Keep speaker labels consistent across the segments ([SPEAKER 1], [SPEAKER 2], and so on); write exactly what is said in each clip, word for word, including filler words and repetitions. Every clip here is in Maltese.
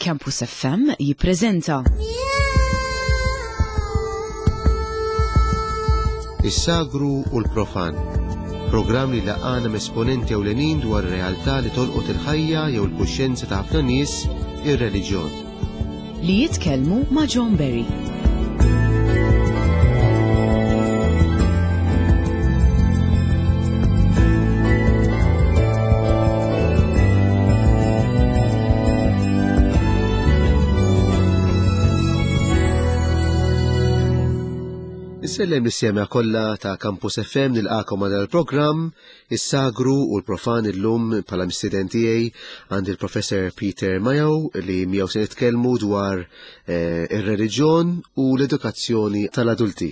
[SPEAKER 1] Campus F M jippreżenta
[SPEAKER 2] Is-Sagru u l-Profan. Programm li jlaqqagħna m'esponenti ewlenin dwar realtà li tolqot il-ħajja jew il-kuxjenza ta' ħafna nies, ir-reliġjon.
[SPEAKER 1] Li jitkellmu ma' John Berry.
[SPEAKER 2] Insellem lis-semmiegħa kollha ta' Campus F M, nilqagħkom għal il-programm Is-Sagru u l-Profan. Illum bħala mistieden tiegħi għandi il-Professor Peter Mayo li miegħu se nitkellmu dwar eh, ir-reliġjon u l-edukazzjoni tal-adulti.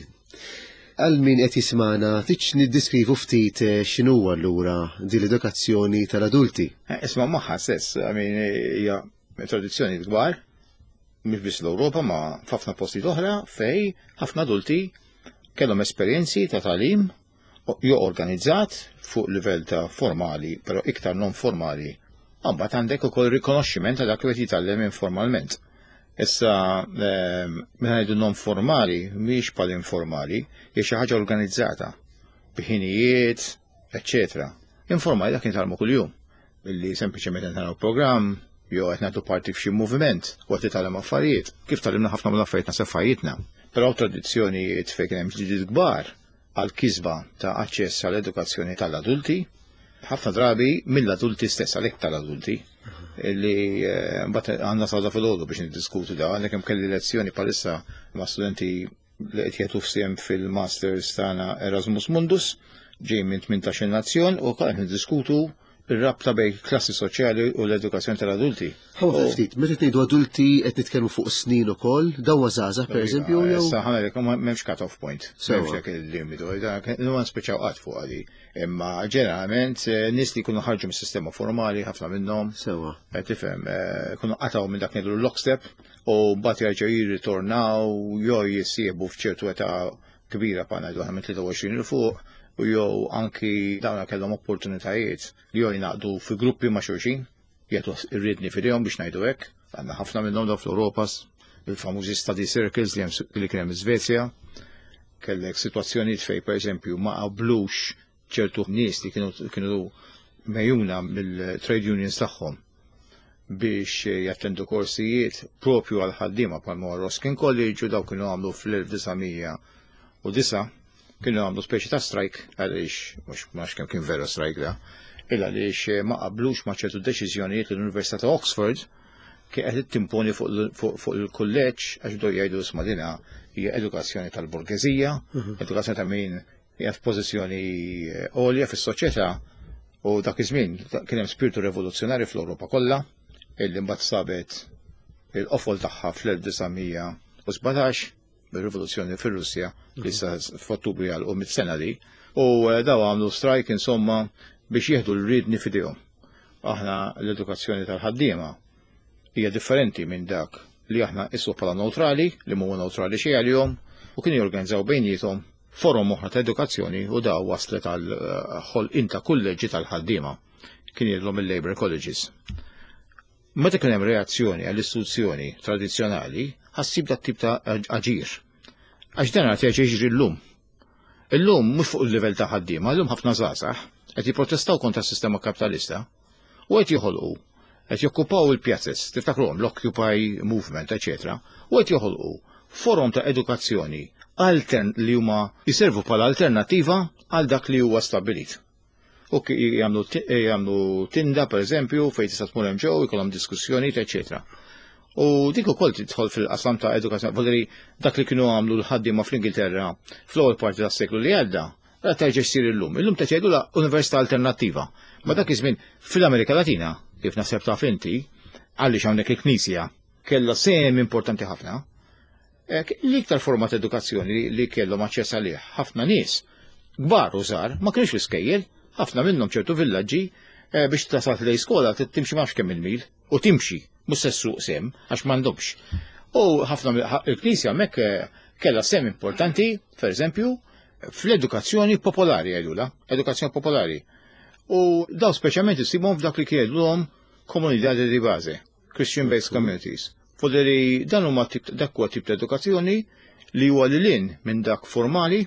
[SPEAKER 2] Għal min qed jismana, tix niddiskrivu ftit eh, x'inhu allura din l-edukazzjoni tal-adulti?
[SPEAKER 3] Eh, Isma' magħha stess, I mean, hija tradizzjoni kbar, mhux biss l-Ewropa ma f'ħafna postijiet oħra fej ħafna adulti kellhom esperjenzi ta' tagħlim jew organizzat fuq livell ta' formali, però iktar non formali. Mbagħad għandek ukoll rikonoxximent ta' dak li qed jitgħallem informalment. Issa, ehm, meta ngħidu non formali, mhix bħal informali, hija xi ħaġa organizzata, b'ħinijiet, eċċetera. Informali dak nitgħallmu kuljum, illi sempliċement naraw programm, jew qed nagħtu parti f'xi moviment u qed titgħallem affarijiet. Kif tgħallimna ħafna mill-affarijiet naħseb f'ħajjitna. Però tradizzjonijiet fejn kien hemm ġlidiet kbar għal kisba ta' aċċess għall edukazzjoni tal-adulti, ħafna drabi mill-adulti stess, għalhekk tal-adulti, li eh, mbagħad għandna sawda fil-ħodu biex niddiskutu da, għandek hemm kelli lezzjoni palissa ma' studenti li qed jagħtu f'siem fil-Masters tagħna Erasmus Mundus, ġej minn tmintax-il nazzjon u qed niddiskutu ir-rabta bejn klassi soċjali u l-edukazzjoni tal-adulti.
[SPEAKER 2] Ħa ftit, meta ngħidu adulti qed nitkellmu fuq snin ukoll, dawn żgħażagħ pereżempju jew
[SPEAKER 3] Issa ħa m'hemmx cut-off point.
[SPEAKER 2] Sewa.
[SPEAKER 3] M'hemmx dak il-limitu. Numan speċaw qatt fuq għadi. Imma ġeneralment eh, nies li jkunu ħarġu mis-sistema formali, ħafna minnhom,
[SPEAKER 2] Sewa.
[SPEAKER 3] qed tifhem, eh, jkunu qatgħu minn dak ngħidu lockstep u mbagħad jerġgħu jirritornaw jew jissieħbu f'ċertu età kbira pa ngħidu aħna minn tlieta u għoxrin 'il fuq u jew anki dawna kellhom opportunitajiet li jew jingħaqdu fi gruppi ma' xulxin, jagħtu ir-riedni f'idejhom biex ngħidu hekk. Għandna ħafna minnhom daw fl-Ewropa, il-famużi study circles li hemm li kien hemm Svezja. Kellek sitwazzjonijiet fej pereżempju ma qablux ċertu nies li kienu kienu mejjuna mill-trade unions tagħhom biex jattendu korsijiet propju għal ħaddiema bħal Ruskin College, u daw kienu għamlu fl-elf disa' mija u disgħa kienu għamlu speċi ta' strike għaliex, mhux ma kemm kien vera strike da, illa għaliex ma qablux ma' ċertu deċiżjonijiet li l-Università ta' Oxford kien qed timponi fuq fuq fuq il-kulleġġ, għax bdew jgħidu isma' dina hija edukazzjoni tal-borgeżija, edukazzjoni ta' min hija f'pożizzjoni għolja fis-soċjetà. U dak iż-żmien kien hemm spiritu rivoluzzjonarju fl-Ewropa kollha illi mbagħad sabet il-qofol tagħha fl-elf disa' mija u sbatax bir-rivoluzzjoni fir-Russja li issa f'Ottubru jagħlqu mitt sena li u eh, daw għamlu strike insomma biex jieħdu l-riedni f'idejhom. Aħna l-edukazzjoni tal-ħaddiema hija differenti minn dak li aħna issu bħala neutrali, li mhuwa neutrali xejn għalihom, u kienu jorganizzaw bejniethom forom oħra ta' edukazzjoni u daw waslet għal eh, ħolqien ta' kulleġġi tal-ħaddiema. Kien jgħidlhom il-Labor Colleges. Meta kien hemm reazzjoni għall-istituzzjoni tradizzjonali, ħa ssib dat tip ta' aġir. Għax dan qed jiġri llum. Illum mhux fuq il-livell ta' ħaddiema, illum ħafna żgħażagħ qed jipprotestaw kontra s-sistema kapitalista u qed joħolqu, qed jokkupaw il-pjazzes, tiftakruhom l-Occupy Movement, eċetera, u qed joħolqu forom ta' edukazzjoni altern li huma jiservu bħala alternattiva għal dak li huwa stabbilit. U jagħmlu jagħmlu tinda pereżempju fejn tista' tmur hemm ġew, ikollhom diskussjonijiet, eċetera. U dik ukoll tidħol fil-qasam ta' edukazzjoni, voldiri dak li kienu għamlu l-ħaddiema fl-Ingilterra fl-ewwel parti tas-seklu li għadda, la terġa' ssir illum. Illum ta' jgħidu la università alternattiva. Ma dak iż-żmien fil-Amerika Latina, kif naħseb taf inti, għaliex hawnhekk il-Knisja kellha sehem importanti ħafna. L-iktar forma ta' edukazzjoni li kellhom aċċess għalih ħafna nies, kbar u żgħar, ma kienux l-iskejjel, ħafna minnhom ċertu villaġġi eh, biex tasal lejn skola timxi ma kemm il-mil u timxi, mhux se ssuq sem għax m'għandhomx. U ħafna il-Knisja hemmhekk eh, kellha sehem importanti, per eżempju, fl-edukazzjoni popolari jgħidula, edukazzjoni popolari. U daw speċjalment issibhom f'dak li jgħidulhom comunidad di base. Christian-based communities. Foderi dan huma tip dak huwa tip ta' edukazzjoni li huwa lil hinn minn dak formali,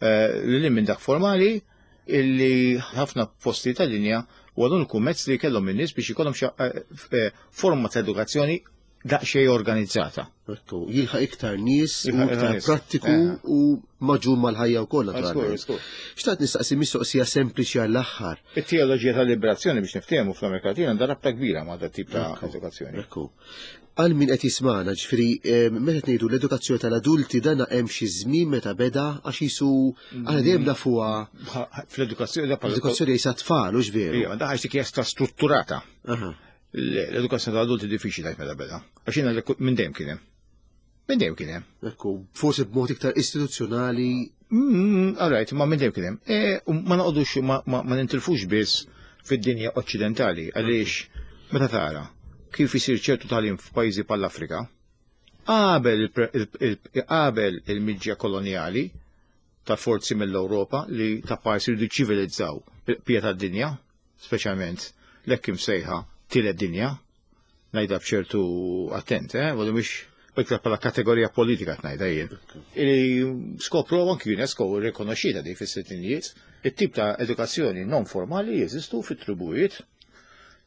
[SPEAKER 3] eh, lil hinn minn dak formali illi ħafna posti tad-dinja u għadun mezz li kellhom in-nies biex ikollhom xi, eh, eh, forma ta' edukazzjoni daqsxejn organizzata.
[SPEAKER 2] Ekku, jilħaq iktar nies u
[SPEAKER 3] Jilħaq iktar
[SPEAKER 2] iktar
[SPEAKER 3] nies.
[SPEAKER 2] prattiku
[SPEAKER 3] Eh.
[SPEAKER 2] u maġun mal-ħajja wkoll naturalment.
[SPEAKER 3] Żgur, żgur.
[SPEAKER 2] Xtaqt nistaqsi mistoqsija sempliċi għall-aħħar.
[SPEAKER 3] It-teoloġija tal-liberazzjoni biex niftehmu fl-Amerika Latina għandha rabta kbira ma' dat tip ta' edukazzjoni.
[SPEAKER 2] Ekku. Għal min qed jismana, ġifieri eh, meta ngħidu l-edukazzjoni tal-adulti dana hemm xi żmien meta beda għax jisu aħna dejjem nafuha
[SPEAKER 3] Fl-edukazzjoni da bħala-
[SPEAKER 2] l-edukazzjoni jisa tfal, hux veru.
[SPEAKER 3] Ija, da ħaġa dik hija strutturata.
[SPEAKER 2] Aha.
[SPEAKER 3] L-edukazzjoni tal-adulti diffiċli tgħid meta beda. Għax jiena li- minn dejjem kien hemm. Minn dejjem kien hemm.
[SPEAKER 2] Ekku, forsi b'mod iktar istituzzjonali.
[SPEAKER 3] Mm, all right, ma minn dejjem kien hemm. E, u ma noqogħdux ma, ma, ma nintilfux biss fid-dinja oċċidentali għaliex meta tara kif isir ċertu tagħlim f'pajjiżi bħall-Afrika, qabel il- il- il- qabel il-miġja koloniali ta' forzi mill-Ewropa li ta' parsi jridu ċivilizzaw il-bqija tad-dinja, speċjalment l-hekk imsejħa tielet dinja, ngħidha b'ċertu attent, eh, għadu mhix iktar bħala kategorija politika ngħidha jien. Ili skopru anki UNESCO rikonoxxieta di fis-sittinijiet, it-tip ta' edukazzjoni non formali jeżistu fit-tribujiet,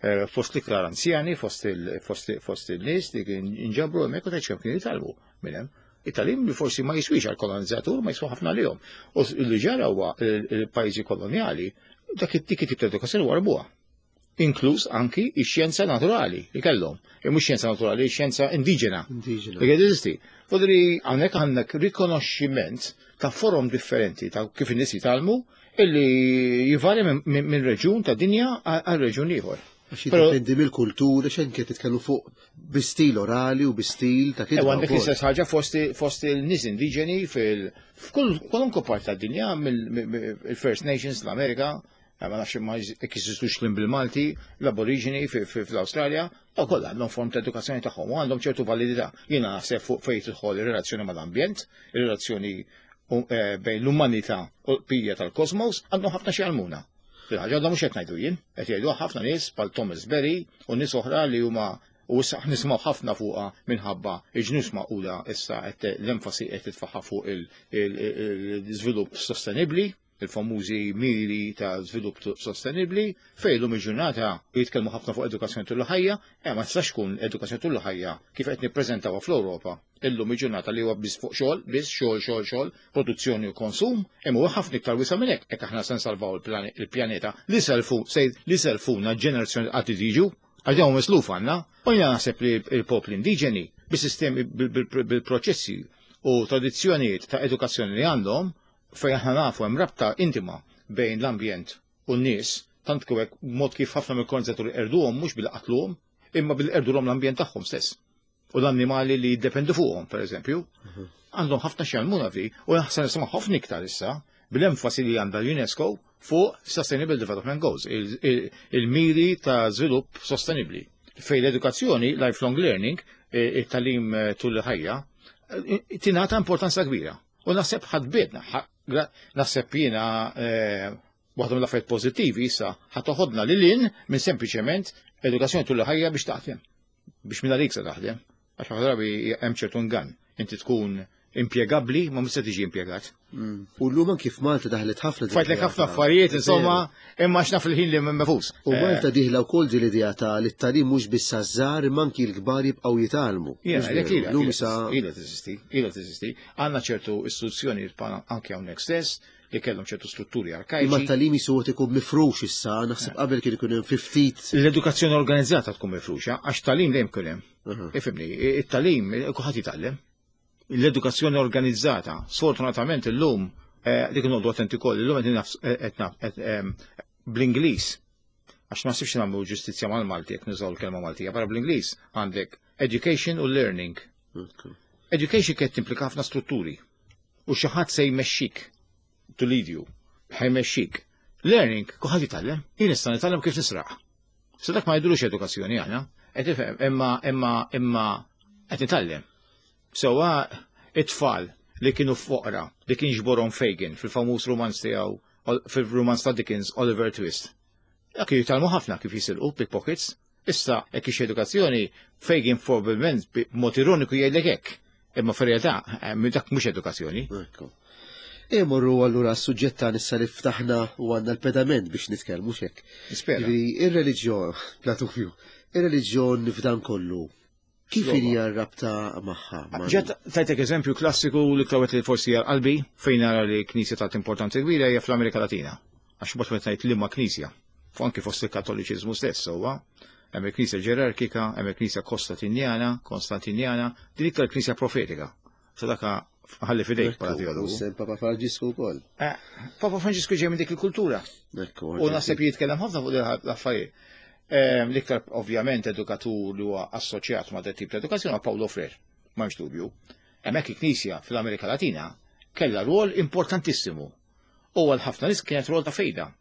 [SPEAKER 3] eh, fost l-iktar anzjani, fost il- fost fost il-nies li kien inġabru hemmhekk u tgħid kemm kienu jitgħallmu minn hemm. It-tagħlim li forsi ma jiswix għal kolonizzatur ma jiswa ħafna lihom. U li ġara huwa il-pajjiżi kolonjali dak it-dik tip ta' edukazzjoni warbuha. Inkluż anki ix-xjenza naturali li kellhom. E mhux xjenza naturali, xjenza indiġena.
[SPEAKER 2] Indiġena.
[SPEAKER 3] Li jeżisti. Fodri hawnhekk għandek rikonoxximent ta' forom differenti ta' kif in-nies jitgħallmu illi jivarja minn min, min reġjun ta' dinja għal reġjun ieħor.
[SPEAKER 2] Għax
[SPEAKER 3] Però-
[SPEAKER 2] jiddependi mill-kultura, xejn kien titkellmu fuq bi stil orali u bi stil ta'
[SPEAKER 3] E
[SPEAKER 2] kitba
[SPEAKER 3] għandek
[SPEAKER 2] wkoll.
[SPEAKER 3] l-istess ħaġa fost fost il-nies indiġeni fil f'kull kwalunkwe part tad-dinja mill-First Nations l-Amerika, eh, ma nafx ma jekk jeżistux kliem bil-Malti, l-Aborigini fi- fi- fl-Awstralja, u kollha għandhom form ta' edukazzjoni tagħhom u għandhom ċertu validità. Jiena naħseb fuq fejn tidħol ir-relazzjoni mal-ambjent, ir-relazzjoni eh, bejn l-umanità u l-bqija tal-kosmos, għandhom ħafna xi jgħallmuna. Fil-ħaġa għandhom mhux qed ngħidu jien, qed jgħidu ħafna nies bħal Thomas Berry u nies oħra li huma u issa nisimgħu ħafna fuqha minħabba il-Ġnus Magħquda issa qed l-enfasi qed titfaħħa fuq il-żvilupp sostenibbli, il-famużi miri ta' żvilupp sostenibbli, fejn illum il-ġurnata jitkellmu ħafna fuq edukazzjoni tul ħajja, eh ma tistax tkun edukazzjoni tul ħajja kif qed nippreżentawha fl-Ewropa. Illum il-ġurnata li huwa biss fuq xogħol, biss xogħol, xogħol, xogħol, produzzjoni u konsum, imma huwa ħafna iktar wiesa' minn hekk, hekk aħna se nsalvaw il-pjaneta li selfu li selfuna ġenerazzjoni qatt tiġu, għax dawn misluf għandna, u jiena naħseb li il-popli indiġeni bis-sistemi bil-proċessi u tradizzjonijiet ta' edukazzjoni li għandhom, fejn aħna nafu hemm rabta intima bejn l-ambjent u n-nies, tant kif mod kif ħafna mill-kolonizzaturi qerduhom mhux bil-qatluhom, imma bil-qerdulhom l-ambjent tagħhom stess. U l-annimali li jiddependu fuqhom, per eżempju, għandhom ħafna x'jgħallmuna fi, u naħseb nisimgħu ħafna iktar issa bil-enfasi li għandha l-UNESCO fuq Sustainable Development Goals, il-miri ta' żvilupp sostenibli. Fej l-edukazzjoni, lifelong learning, it-tagħlim tul il-ħajja, tingħata importanza kbira. U naħseb ħadbidna, naħseb jiena waħda mill-affarijiet pożittivi issa ħa toħodna lil hinn minn sempliċement edukazzjoni tul il-ħajja biex taħdem. Biex minn għalik se taħdem. Għax ħafna drabi hemm ċertu ngan. Inti tkun impjegabbli ma mhux se tiġi impjegat.
[SPEAKER 2] U llum anki f'Malta daħlet ħafna.
[SPEAKER 3] Fajtlek ħafna affarijiet, insomma, imma x'naf il-ħin li mefus.
[SPEAKER 2] U Malta dieħla wkoll din l-idea ta' li t-tagħlim mhux biss għaż-żgħar imma anki l-kbar jibqgħu jitgħallmu.
[SPEAKER 3] Llum issa ilha teżisti, ilha teżisti. Għandna ċertu istituzzjoni anke hawnhekk stess li kellhom ċertu strutturi arkajċi.
[SPEAKER 2] Imma t-tagħlim jisuwet ikun mifrux issa, naħseb qabel kien ikun hemm ftit.
[SPEAKER 3] L-edukazzjoni organizzata tkun mifruxa, għax tagħlim dejjem kien hemm. Ifhimni, it-tagħlim kulħadd jitgħallem. L-edukazzjoni organizzata, sfortunatament illum, dik noqogħdu attenti koll, illum qed bl-Ingliż, għax ma sibx nagħmlu ġustizzja mal-Malti jekk nużaw il-kelma Maltija, para bl-Ingliż għandek education u learning. Education qed timplika ħafna strutturi u xi ħadd se jmexxik to lead you, ħa jmexxik. Learning, kulħadd jitgħallem, jien nista' nitgħallem kif nisraq. Se dak ma jidulux edukazzjoni aħna, qed tifhem, imma imma imma qed nitgħallem. Sewwa it-tfal li kienu foqra, li kien ġborhom Fagin fil-famuż romanz tiegħu, fil-romanz ta' Dickens, Oliver Twist. Dak jitgħallmu ħafna kif jisirqu pickpockets, Issa, hekk ix edukazzjoni, Fagin probabbilment b'mod ironiku jgħidlek hekk. Imma fir-realtà, eh, dak mhux edukazzjoni.
[SPEAKER 2] Ekku. Imorru allura s-suġġett ta' nissa li ftaħna u għandna l-pedament biex nitkellmu xek.
[SPEAKER 3] Nispera.
[SPEAKER 2] Jiġifieri, ir-reliġjon, bla dubju, ir-reliġjon f'dan kollu, kif
[SPEAKER 3] Slova.
[SPEAKER 2] hija r-rabta magħha? Ma-
[SPEAKER 3] Ġet tajtek eżempju klassiku li klawet li forsi għal qalbi fejn nara li knisja tat importanza kbira hija fl-Amerika Latina. Għax bot meta ngħid liema knisja. Fu anki fost il-Kattoliċiżmu stess huwa. Hemm il-Knisja ġerarkika, hemm il-Knisja Kostantinjana, Konstantinjana, din iktar knisja profetika. Sa daka ħalli fidejk bħala
[SPEAKER 2] Ekku,
[SPEAKER 3] teologu.
[SPEAKER 2] u sem Papa Franġisku wkoll.
[SPEAKER 3] Eh, Papa Franġisku ġej minn dik il-kultura.
[SPEAKER 2] Ekku,
[SPEAKER 3] U naħseb jitkellem ħafna fuq l-affarijiet. Ehm, L-iktar ovvjament edukatur li huwa assoċjat ma' dat tip ta' edukazzjoni huwa Paulo Freire, m'hemmx dubju. Hemmhekk il-Knisja fl-Amerika Latina kellha rwol importantissimu. U għal ħafna nies kienet rwol ta' fejda.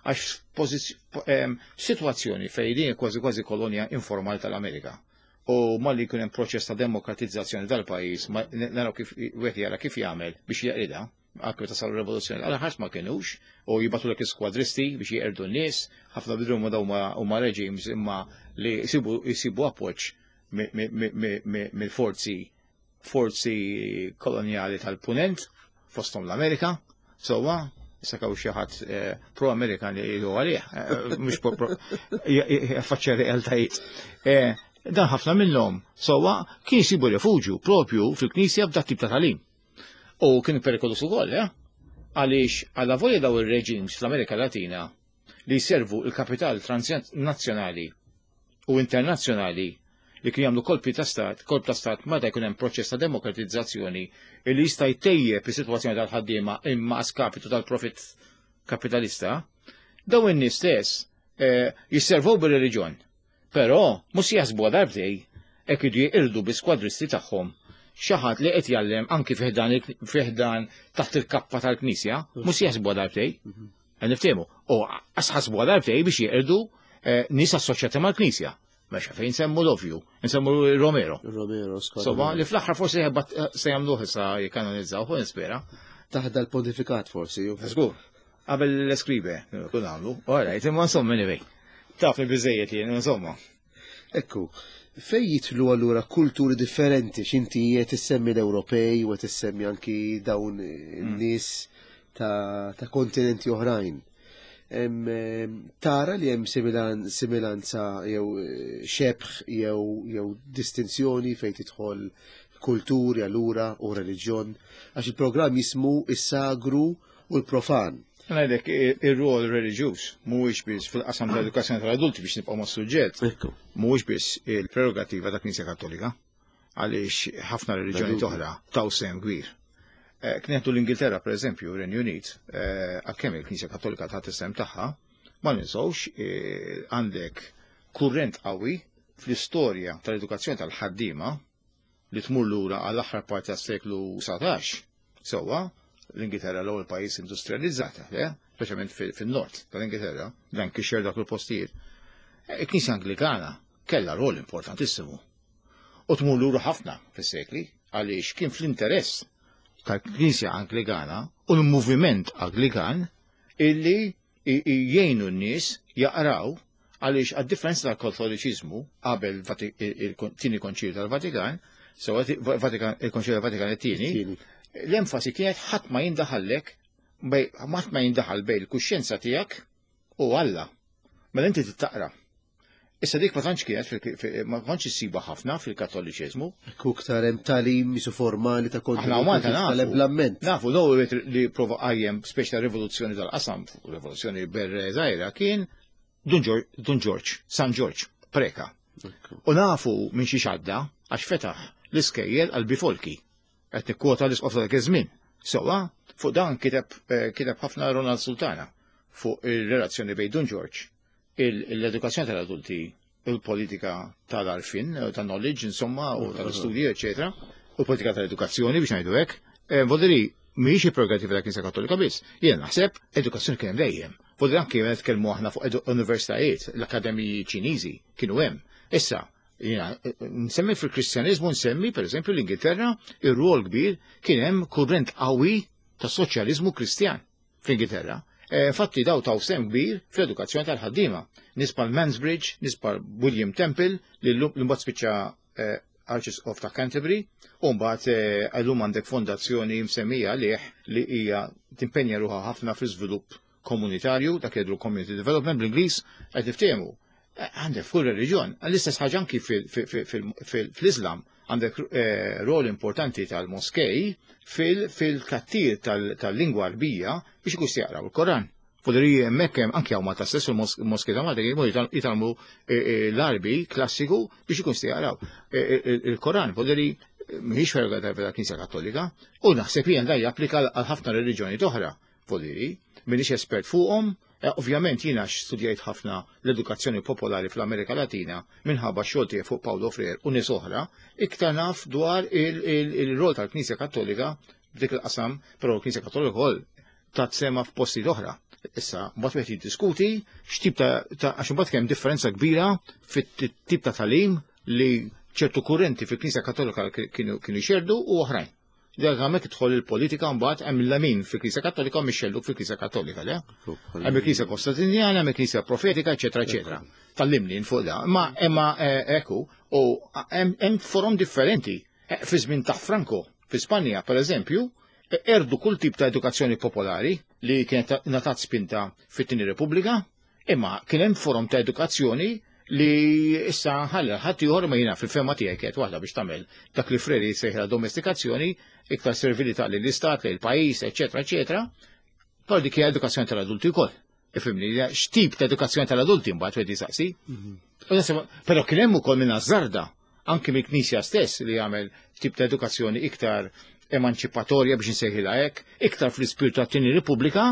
[SPEAKER 3] Għax pożiz- po- ehm, situazzjoni fejn din kważi kważi kolonja informali tal-Amerika. U malli jkun hemm proċess ta' demokratizzazzjoni tal-pajjiż, ma naraw kif wieħed jara kif jagħmel biex jeqridha, anke meta saru rivoluzzjoni, għal ħadd ma kinux, u jibatu lek skwadristi biex jeqirdu n-nies, ħafna bidru ma dawn huma regimes imma li jsibu jsibu appoġġ mi- mi- mi- mi- mi- mill-forzi forzi kolonjali tal-punent, fosthom l-Amerika, sowa, issa kaw xi ħadd eh, pro-Amerikan li jgħidu għalih, eh, mhux pro- pro- jaffaċċja realtajiet. Eh, Dan ħafna minnhom sowa kien jsibu refuġju propju fil-Knisja b'dat tip ta' tagħlim. U kien perikolus ukoll, eh? Għaliex għalla volja daw ir-reġims fl-Amerika Latina li jservu il-kapital transnazzjonali u internazzjonali li kien jagħmlu kolpi ta' stat, kolp ta' stat meta jkun hemm proċess ta' demokratizzazzjoni li jista' jtejjeb is-sitwazzjoni tal-ħaddiema imma a skapitu tal-profit kapitalista, daw in-nies stess eh, jisservu bir-reliġjon. Però mhux jaħsbu darbtej hekk idu jeqirdu bi skwadristi tagħhom xi ħadd li qed jgħallem anki fiħdan il- fiħdan taħt il-kappa tal-Knisja, mhux jaħsbu darbtej. Niftehmu. U asħasbu darbtej biex jeqirdu eh, nies assoċjati mal-Knisja. Mexa fejn nsemmu l-ovju, nsemmu Romero.
[SPEAKER 2] Romero, skwadra.
[SPEAKER 3] Somma li fl-aħħar forsi jħabbat- se jagħmluh issa jikkanonizzaw, u nispera.
[SPEAKER 2] Taħda l-pontifikat forsi. ju.
[SPEAKER 3] Żgur. Qabel l-eskribe, kun għamlu. All right, imma insomma anyway. Taf li biżejjed jien, insomma.
[SPEAKER 2] Ekku, fej jitlu allura kulturi differenti, x'inti qed issemmi l-Ewropej u qed issemmi anki dawn in-nies ta', ta' kontinenti oħrajn. Em, em, Tara li hemm similan, similanza jew eh, xebħ jew jew distinzjoni fejn tidħol kulturi allura u reliġjon għax il-programm jismu is-sagru u l-profan.
[SPEAKER 3] Ngħidlek ir-rol reliġjuż mhuwiex biss fil-qasam tal-edukazzjoni tal-adulti biex nibqgħu mas-suġġett,
[SPEAKER 2] Ekku.
[SPEAKER 3] mhuwiex biss il-prerogativa ta' Knisja Kattolika, għaliex ħafna reliġjoni
[SPEAKER 2] Bla dubju.
[SPEAKER 3] oħra taw sehem kbir. Eh, Knieħdu l-Ingilterra, per eżempju, Renju Unit, eh, għalkemm il-Knisja Kattolika ta' is-sehem tagħha, ma ninsewx eh, għandek kurrent qawwi fl-istorja tal-edukazzjoni tal-ħaddiema li tmur lura għall-aħħar parti tas-seklu dsatax. Sewwa, l-Ingilterra l-ewwel pajjiż industrializzata, le? Speċjalment fin-nord tal-Ingilterra, dan kixer dak il-postijiet. Eh, Il-Knisja Anglikana kellha rol importantissimu. U tmur lura ħafna fis-sekli għaliex kien fl-interess tal-Knisja Anglikana u l-moviment Anglikan illi i- i- jgħinu n-nies jaqraw għaliex għad-differenza tal-Kattoliċiżmu qabel Vati- il- il-tieni konċilju tal-Vatikan, sewa Vatikan il-Konċilju tal-Vatikan it-tieni,
[SPEAKER 2] Tieni.
[SPEAKER 3] l-enfasi kienet ħadd ma jindaħallek bej ħadd ma jindaħal bej il-kuxjenza tiegħek u Alla. Mela inti tittaqra. Issa dik ma tantx kienet fil- fi- ma kontx issiba ħafna fil-Kattoliċiżmu.
[SPEAKER 2] Ekku ktar hemm tagħlim misu formali ta'
[SPEAKER 3] Aħna u Malta nafu.
[SPEAKER 2] tal-eblament.
[SPEAKER 3] Nafu, l-ewwel li prova qajjem speċi ta' rivoluzzjoni tal-qasam, rivoluzzjoni berre żgħira kien Dun Ġor- Dun Ġorġ, San Ġorġ, Preka. U nafu minn xi xadda għax fetaħ l-iskejjel għal bifolki. Qed nikkwota l-isqof ta' dak iż-żmien. Sewwa, fuq dan kiteb eh, kiteb ħafna Ronald Sultana fuq ir-relazzjoni bejn Dun Ġorġ, il- l-edukazzjoni tal-adulti, il-politika tal-arfin, eh, tal-knowledge, insomma, u tal-istudji, eccetera, u l-politika tal-edukazzjoni biex ngħidu hekk. Eh, Voldiri, mhijiex il-prerogativa ta' Knisja Kattolika biss. Jien naħseb edukazzjoni kien hemm dejjem. Voldiri anke meta nitkellmu aħna fuq edu- universitajiet, l-akademiji Ċiniżi kienu hemm. Issa, jiena, eh, nsemmi fil-Kristjaniżmu nsemmi, per eżempju, l-Ingilterra, ir-rol kbir kien hemm kurrent qawwi ta' soċjaliżmu Kristjan fl-Ingilterra. Infatti daw taw sehem kbir fl-edukazzjoni tal-ħaddiema. Nies bħal Mansbridge, nies bħal William Temple, li l-mbagħad spiċċa Archbishop ta' Canterbury, u mbagħad illum għandek fondazzjoni msemmija għalih li hija timpenja ruħha ħafna fl-iżvilupp komunitarju, dak jgħidu community development bl-Ingliż, qed niftehmu. Għandek fuq reliġjon, l-istess ħaġa anki fl-Islam, għandek rol importanti tal-moskej fil-kattir tal-lingwa Arbija biex ikun jaqraw il-Koran. Foderi hemmhekk hemm anki hawn Malta stess fil-moskej ta' Malta jmur jitgħallmu l-Arbi klassiku biex ikun jaqraw il-Koran. Foderi mhix ferga tal-Knisja Kattolika u naħseb jien da japplika għal ħafna reliġjoni oħra. Foderi, m'iniex espert fuqhom. Ovvjament jiena studjajt ħafna l-edukazzjoni popolari fl-Amerika Latina minħabba xogħol tiegħi fuq Paulo Freire u nies oħra, iktar naf dwar il-rol tal-Knisja Kattolika f'dik il-qasam, però l-Knisja Kattolika wkoll tat sema f'postijiet oħra. Issa, mbagħad wieħed jiddiskuti x'tip ta' għax imbagħad kemm differenza kbira fit-tip ta' tagħlim li ċertu kurrenti fil-Knisja Kattolika kienu jxerdu u oħrajn. Dak hemmhekk tidħol il-politika mbagħad hemm il-lamin fil-Knisja Kattolika u mix-xellug fil-Knisja Kattolika, le? Hemm il-Knisja Kostantinjana, hemm il-Knisja Profetika, eċetera, eċetera. Tallimni fuq da. Ma imma ekku, u hemm forom differenti. Fi żmien ta' Franco, fi Spanja, per eżempju, erdu kull tip ta' edukazzjoni popolari li kienet natat spinta fit-Tieni Repubblika, imma kien hemm forom ta' edukazzjoni li issa ħalla ħadd ieħor ma jiena fil-fema tiegħi kienet waħda biex tagħmel dak li Freire jsejħilha domestikazzjoni, iktar servilità lill-istat, lill-pajjiż, eċetera, eċetera. Però dik hija edukazzjoni tal-adulti wkoll. Ifhimni, x'tip ta' edukazzjoni tal-adulti mbagħad wieħed jisaqsi. Però kien hemm ukoll minn azzarda anke mill-Knisja stess li jagħmel tip ta' edukazzjoni iktar emanċipatorja biex insejħilha hekk, iktar fl-ispirtu tat-Tieni Repubblika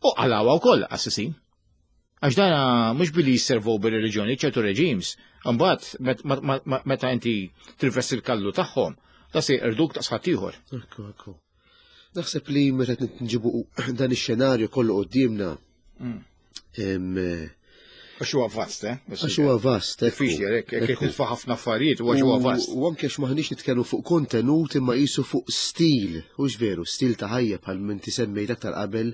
[SPEAKER 3] u qalawha wkoll assassin. Għax dana mhux billi jisservu bil-reliġjoni ċertu reġims, imbagħad meta inti tirvesti l-kallu tagħhom, da se jqerduk ta' sħadd ieħor.
[SPEAKER 2] Ekku, ekku. Naħseb li meta nġibu dan ix-xenarju kollu quddiemna.
[SPEAKER 3] Għax huwa vast, eh?
[SPEAKER 2] Għax huwa vast, ekku.
[SPEAKER 3] Diffiċli, hekk, hekk titfa' ħafna affarijiet, u għax huwa vast.
[SPEAKER 2] U anke għax maħniex nitkellmu fuq kontenut imma qisu fuq stil, hux veru, stil ta' ħajja bħal minn tisemmejt aktar qabel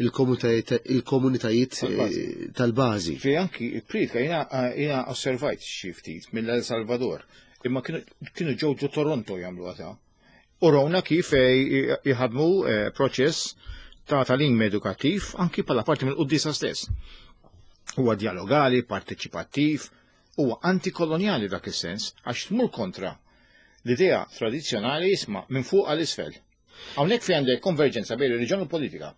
[SPEAKER 2] il-komunitajiet tal-bażi.
[SPEAKER 3] Fi anki il-pritka jiena osservajt xi ftit mill-El Salvador, imma kienu ġew ġo Toronto jagħmlu għata. U rawna kif jħadmu proċess ta' tagħlim edukattiv anki bħala parti mill-quddiesa stess. Huwa dialogali, parteċipattiv, huwa antikolonjali dak is-sens, għax tmur kontra l-idea tradizzjonali isma' minn fuq għal isfel. Hawnhekk fi għandek konverġenza bejn ir-reliġjon u politika.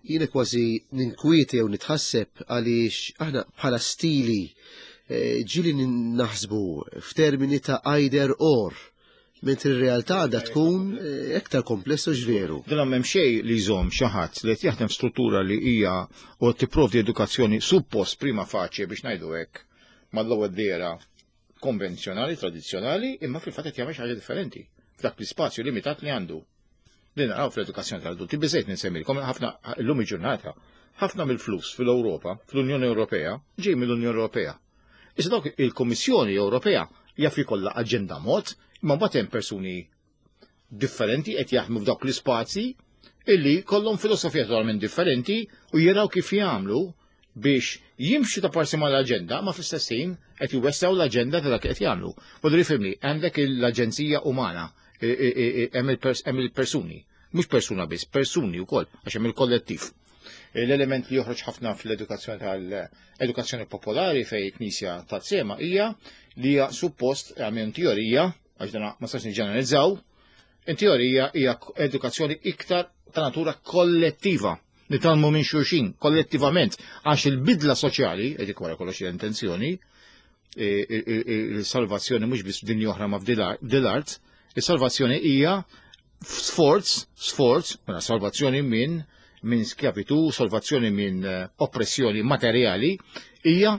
[SPEAKER 2] Jiena kważi ninkwieti jew nitħasseb għaliex aħna bħala stili ġieli naħsbu f'termini ta' either or, mentri r-realtà għandha tkun iktar komplessa ġveru.
[SPEAKER 3] Dan m'hemm xejn li jżomm xi ħadd li qed jaħdem f'struttura li hija u tipprovdi edukazzjoni suppost prima facie biex ngħidu hekk mal-ewwel dera konvenzjonali, tradizzjonali, imma fil-fatt qed jagħmel xi ħaġa differenti f'dak l-ispazju limitat li għandu. Li naraw fl-edukazzjoni tal-adulti, biżejt ninsemmilkom ħafna llum il-ġurnata, ħafna mill-flus fil-Ewropa, fl-Unjoni Ewropea, ġej mill-Unjoni Ewropea. Issa dawk il-Kummissjoni Ewropea jaf ikollha aġenda mod, imma mbagħad hemm persuni differenti qed jaħdmu f'dawk l-ispazji illi kollhom filosofija totalment differenti u jaraw kif jagħmlu biex jimxu ta' parsi mal-aġenda, ma fl-istess ħin qed jwessaw l-aġenda ta' dak qed jagħmlu. Voldri fimni, għandek l-aġenzija umana, hemm il-persuni, mhux persuna biss, persuni wkoll, għax hemm il-kollettiv. L-element li joħroġ ħafna fl-edukazzjoni tal-edukazzjoni popolari fej Knisja ta' sema hija li hija suppost għamil teorija, għax dan ma sax niġġeneralizzaw, in teorija hija edukazzjoni iktar ta' natura kollettiva. Nitalmu minn xulxin kollettivament, għax il-bidla soċjali, edik wara kollox l-intenzjoni, il-salvazzjoni mhux biss f'dinja oħra ma f'dil-art, il-salvazzjoni hija sforz, sforz, mela salvazzjoni minn minn skjavitu, salvazzjoni minn oppressjoni materjali, hija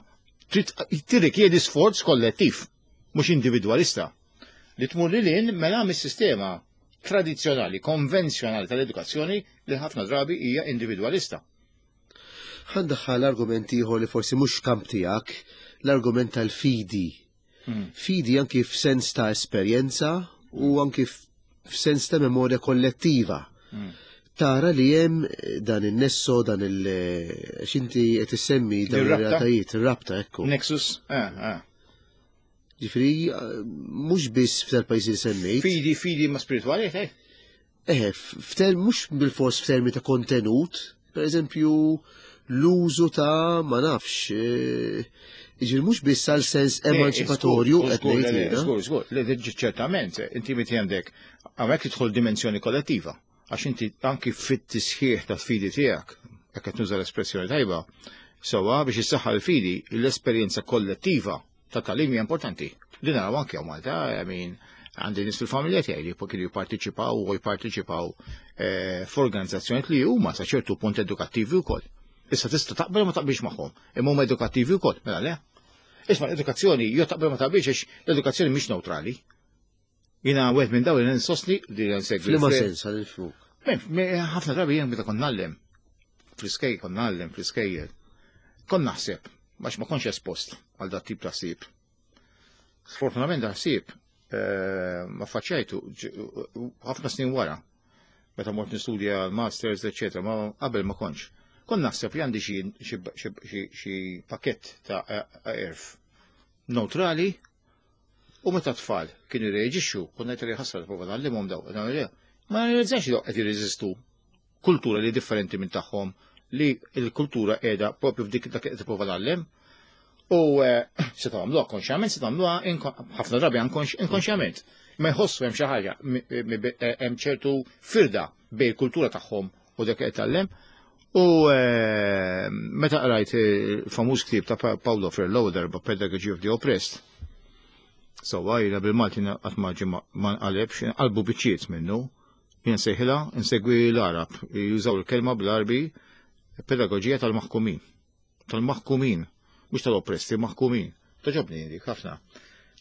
[SPEAKER 3] tirrikjedi sforz kollettiv, mhux individwalista. Li tmur lil hinn mela mis-sistema tradizzjonali, konvenzjonali tal-edukazzjoni li ħafna drabi hija individwalista.
[SPEAKER 2] Ħandaħħal argument ieħor li forsi mhux kamp tiegħek, l-argument tal-fidi. Fidi anki f'sens ta' esperjenza u anki f'sens ta' memorja kollettiva. Tara li hemm dan il-nesso, dan il- x'inti qed issemmi dan ir-realtajiet, ir-rabta, ekku.
[SPEAKER 3] Nexus, eh, eh.
[SPEAKER 2] Ġifieri, mhux biss f'tal-pajjiżi li semmejt.
[SPEAKER 3] Fidi, fidi ma' spirituali, eh?
[SPEAKER 2] Eh, f'ter mhux bil-fors f'termi ta' kontenut, per eżempju, l-użu ta' ma nafx, ġifieri mhux biss għal sens emanċipatorju qed ngħid jiena.
[SPEAKER 3] Żgur, żgur, le ċertament, inti meti għandek hawnhekk tidħol dimensjoni kollettiva, għax inti anki fit-tisħiħ ta' fidi tiegħek, jekk qed nuża l-espressjoni tajba, sewwa biex issaħħa l-fidi, l-esperjenza kollettiva ta' tagħlim hija importanti. Din naraw anke hawn Malta, I mean, għandi nies fil-familja tiegħi li kienu jipparteċipaw u jipparteċipaw f'organizzazzjonijiet li huma sa ċertu punt edukattivi wkoll. Issa tista' taqbel ma taqbilx magħhom, imma huma edukattivi wkoll, mela le. Isma' l-edukazzjoni jew taqbel ma taqbilx għax l-edukazzjoni mhix neutrali. Jiena wieħed minn dawn li nsostni li nsegwi.
[SPEAKER 2] F'liema sens għal il-fluk?
[SPEAKER 3] Ħafna drabi jien meta kont ngħallem fl-iskejjel kont ngħallem fl-iskejjel. Kont naħseb għax ma kontx espost għal dat tip ta' ħsieb. Sfortunatament da ħsieb ma faċċajtu ħafna snin wara, meta mort nistudja l-masters, eccetera, ma qabel ma kontx. Kont naħseb li għandi xi pakett ta' għerf neutrali u meta tfal kienu jirreaġixxu, kont ngħid li ħasra prova ngħallimhom daw. Ma nirrealizzax li qed jirreżistu kultura li differenti minn tagħhom, li l-kultura qiegħda propju f'dik dak qed tipprova tgħallem. U se tagħmluha konxjament, se tagħmluha ħafna drabi inkonxjament. Ma jħossu hemm xi ħaġa, hemm ċertu firda bejn il-kultura tagħhom u dak qed tgħallem. U meta qrajt il-famuż ktieb ta' Paulo Freire l-ewwel darba Pedagogy of the Oppressed, sewwa jiena bil-Malti qatt ma ġie ma nqalebx, qalbu biċċiet minnu, jien sejħilha insegwi l-Arab, jużaw il-kelma bl-Arbi pedagogija tal-maħkumin. Tal-maħkumin, mhux tal-oppressi, maħkumin. Togħġobni dik ħafna.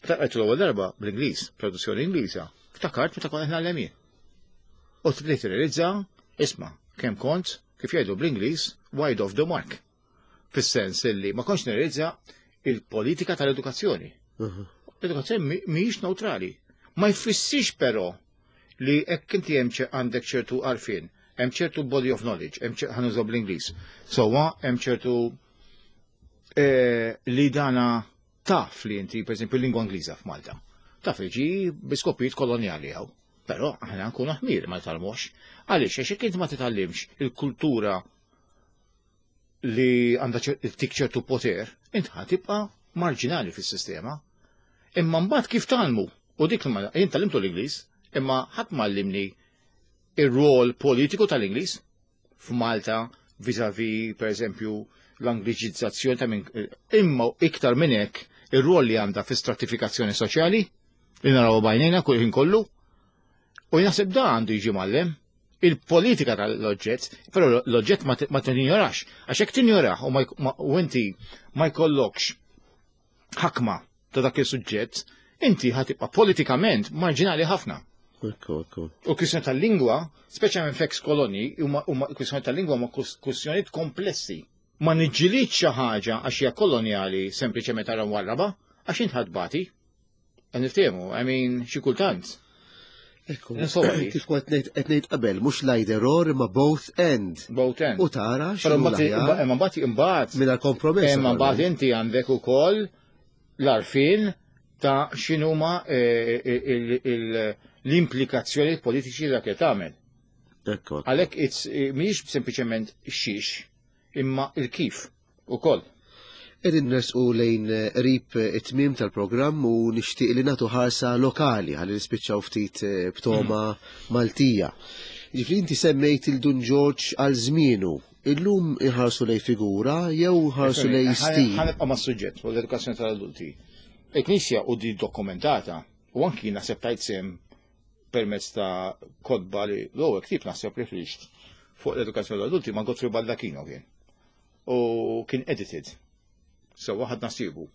[SPEAKER 3] Meta qrajt l-ewwel darba bl-Ingliż, traduzzjoni Ingliża, ftakart meta kont qed ngħallem jien. U tbdejt tirrealizza, isma' kemm kont, kif jgħidu bl-Ingliż, wide of the mark. Fis-sens illi ma kontx nirrealizza il-politika tal-edukazzjoni. L-edukazzjoni mhijiex neutrali. Ma jfissirx però li hekk inti hemm għandek ċertu għarfien, hemm ċertu body of knowledge, hemm ħa nużaw bl-Ingliż. Sewwa hemm ċertu li dana taf li inti, per esempio, l-lingwa Ingliża f'Malta. Taf li ġi bi skopijiet kolonjali hawn. Però aħna nkunu ħmir ma nitgħallmux. Għaliex għax jekk inti ma titgħallimx il-kultura li għandha tik ċertu poter, int ħa tibqa' marġinali fis-sistema. Imma mbagħad kif tgħallmu? U dik li jien tgħallimtu l-Ingliż, imma ħadd m'għallimni ir-rol politiku tal-Ingliż f'Malta vis-a-vis, per eżempju, l-angliċizzazzjoni ta' minn imma iktar minn hekk ir-rol li għandha fi stratifikazzjoni soċjali li naraw bajnejna kull ħin kollu. U naħseb da għandu jiġi mgħallem il-politika tal-oġġett, però l-oġġett ma tinjorax, għax hekk tinjorax u inti ma jkollokx ħakma ta' dak il-suġġett, inti ħa tibqa' politikament marġinali ħafna.
[SPEAKER 2] Ekku, ekku.
[SPEAKER 3] U kwistjoni tal-lingwa, speċjalment f'ex koloni, huma kwistjoni tal-lingwa huma kwistjonijiet komplessi. Ma niġġilidx xi ħaġa għax hija kolonjali sempliċement ara warraba, għax int ħadbati. Niftehmu, I mean, xi kultant.
[SPEAKER 2] Ekku, kif kont qed ngħid qabel, mhux l-either or imma both and.
[SPEAKER 3] Both and.
[SPEAKER 2] U tara
[SPEAKER 3] Però mbagħad imma mbagħad imbagħad
[SPEAKER 2] mingħajr kompromess.
[SPEAKER 3] Imma mbagħad inti għandek ukoll l-għarfien ta' x'inhuma l-implikazzjoni politiċi dak li tagħmel.
[SPEAKER 2] Ekku.
[SPEAKER 3] Għalhekk mhijiex sempliċement xiex, imma il-kif ukoll.
[SPEAKER 2] Qegħdin nersqu lejn qrib it-tmiem tal-programm u nixtieq li nagħtu ħarsa lokali ħalli nispiċċaw ftit b'toma Maltija. Ġifieri inti semmejt il Dun Ġorġ għal żmienu. Illum iħarsu lej figura jew ħarsu lej stil.
[SPEAKER 3] Ħa nibqa' mas-suġġett fuq l-edukazzjoni tal-adulti. Il-Knisja u di dokumentata u anki naħseb tajt sem permezz ta' kotba li l-ewwel ktieb naħseb li ħriġt fuq l-edukazzjoni tal-adulti ma' Godfrey Baldacchino kien. U kien edited. So waħad nasibu.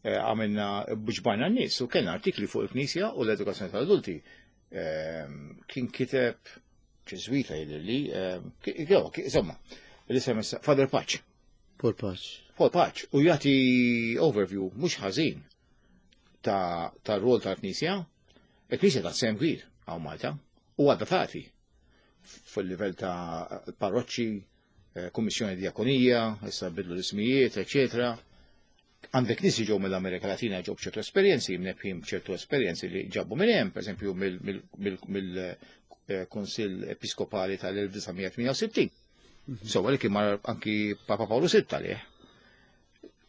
[SPEAKER 3] Għamilna bġbajna n-nies u kellna artikli fuq il-Knisja u l-edukazzjoni tal-adulti. Kien kiteb Ġeżwita jidhirli, insomma, l-isem Father Paċ.
[SPEAKER 2] Paul Paċ.
[SPEAKER 3] Paul Paċ, u jagħti overview mhux ħażin ta' ta' rol tal-Knisja. Il-Knisja ta' sem kbir hawn Malta u għadha tagħti. Fuq il-livell ta' parroċċi, eh, kummissjoni diakonija, issa bidlu l-ismijiet, eċetera. Għandek nies ġew mill-Amerika Latina ġew b'ċertu esperjenzi, mnebbħin b'ċertu esperjenzi li ġabu minn hemm, pereżempju mill-Kunsill Episkopali tal-elf disa' mija tmienja u sittin. So, li kien mar anki Papa Paolo Sitta lih.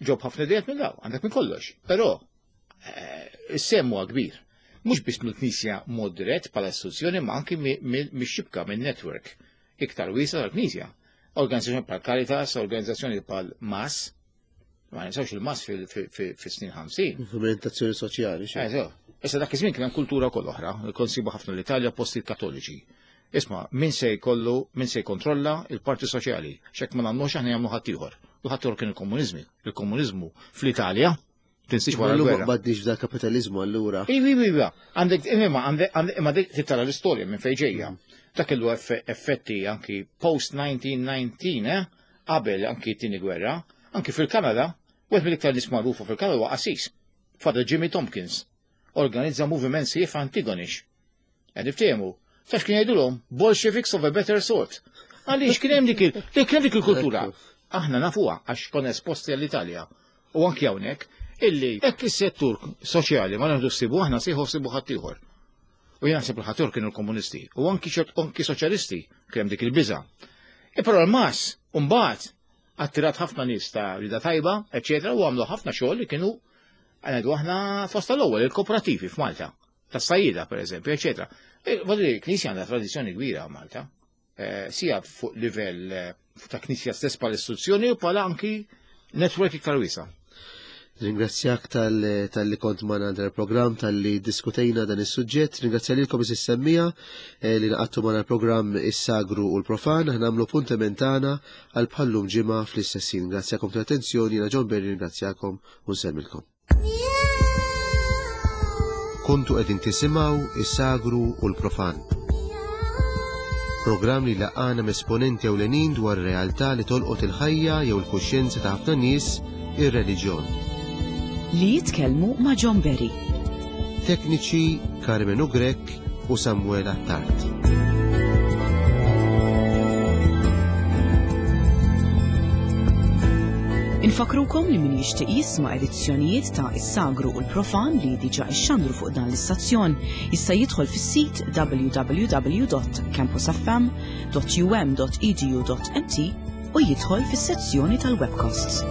[SPEAKER 3] Ġob ħafna ideat minn daw, għandek minn kollox. Però, eh, is-sehem huwa kbir. Mhux biss mill-Knisja mod dirett bħala istituzzjoni, ma anki mix-xibka, minn network iktar wiesa tal-Knisja. Organizzazzjoni bħal Caritas, organizzazzjoni bħal M A S, ma ninsawx il-M A S fis-snin ħamsin.
[SPEAKER 2] Movimentazzjoni soċjali. Xi.
[SPEAKER 3] Eh, so. Issa dak iż-żmien kien hemm kultura wkoll oħra, kont sibu ħafna l-Italja posti kattoliċi. Isma', min se jkollu, min se jkontrolla il-parti soċjali? Xek ma nagħmlux aħna jagħmlu ħaddieħor. U ħaddieħor kien il-komuniżmi. Il-komuniżmu fl-Italja, tinsiex wara
[SPEAKER 2] Allura ma
[SPEAKER 3] l-gwerra.
[SPEAKER 2] qbadniex f'da kapitalizmu allura.
[SPEAKER 3] Iva, iva, iva. Għandek, imma, għandek, għandek- imma dik tara l-istorja minn fejn ġejja. Dak kellu effe- effetti anki post-elf disa' mija u tmintax, eh? Qabel anki t-tieni gwerra, anki fil-Kanada, wieħed mill-iktar nies magħrufa fil-Kanada huwa qassis. Father Jimmy Tompkins. Organizza moviment sħiħ Antigonish. Qed niftehmu. Tax kien jgħidulhom Bolsheviks of a better sort. Għaliex kien hemm dik il- kien hemm dik il-kultura. Aħna nafuha għax konna esposti għall-Italja. U anki hawnhekk illi hekk is-settur soċjali ma naħdu ssibu aħna sieħu ssibu ħaddieħor. U jien naħseb il-ħaddieħor kienu l-komunisti. U anki ċert anki soċjalisti kien hemm dik il-biża. E però l-M A S mbagħad attirat ħafna nies ta' rida tajba, eċetera, u għamlu ħafna xogħol li kienu għandu aħna fost tal-ewwel il-kooperativi f'Malta, tas-sajjida per eżempju, eċetera. E, Voglio dire, Knisja għandha tradizzjoni kbira Malta, eh, sia fuq livell eh, ta' Knisja stess bħala istituzzjoni u bħala anki network iktar wiesa.
[SPEAKER 2] Ringrazzjak tal- tal-li kont magħna dan il-programm, tal-li diskutejna dan is-suġġett. Ringrazzja lilkom is-semmiegħa eh, li ngħaqadtu magħna l-programm Is-Sagru u l-Profan. Aħna nagħmlu appuntament tagħna għal bħallum ġimgħa fl-istess ħin. Ringrazzjakom tal-attenzjoni, jiena John Berry, ringrazzjakom u nsellmilkom. Kontu qegħdin tisimgħu Is-Sagru u l-Profan. Programm li laqqagħna esponenti ewlenin dwar realtà li tolqot il-ħajja jew il-kuxjenza ta' ħafna nies, ir-reliġjon.
[SPEAKER 1] Li jitkellmu ma' John Berry.
[SPEAKER 2] Tekniċi Carmenu Grech u Samuel Attard.
[SPEAKER 1] Infakrukom li min jixtieq jisma' edizzjonijiet ta' Is-Sagru u l-Profan li diġà ixxandru fuq dan l-istazzjon jista' jidħol fis-sit w w w dot campusfm dot u m dot e d u dot m t u jidħol fis-sezzjoni tal-webcasts.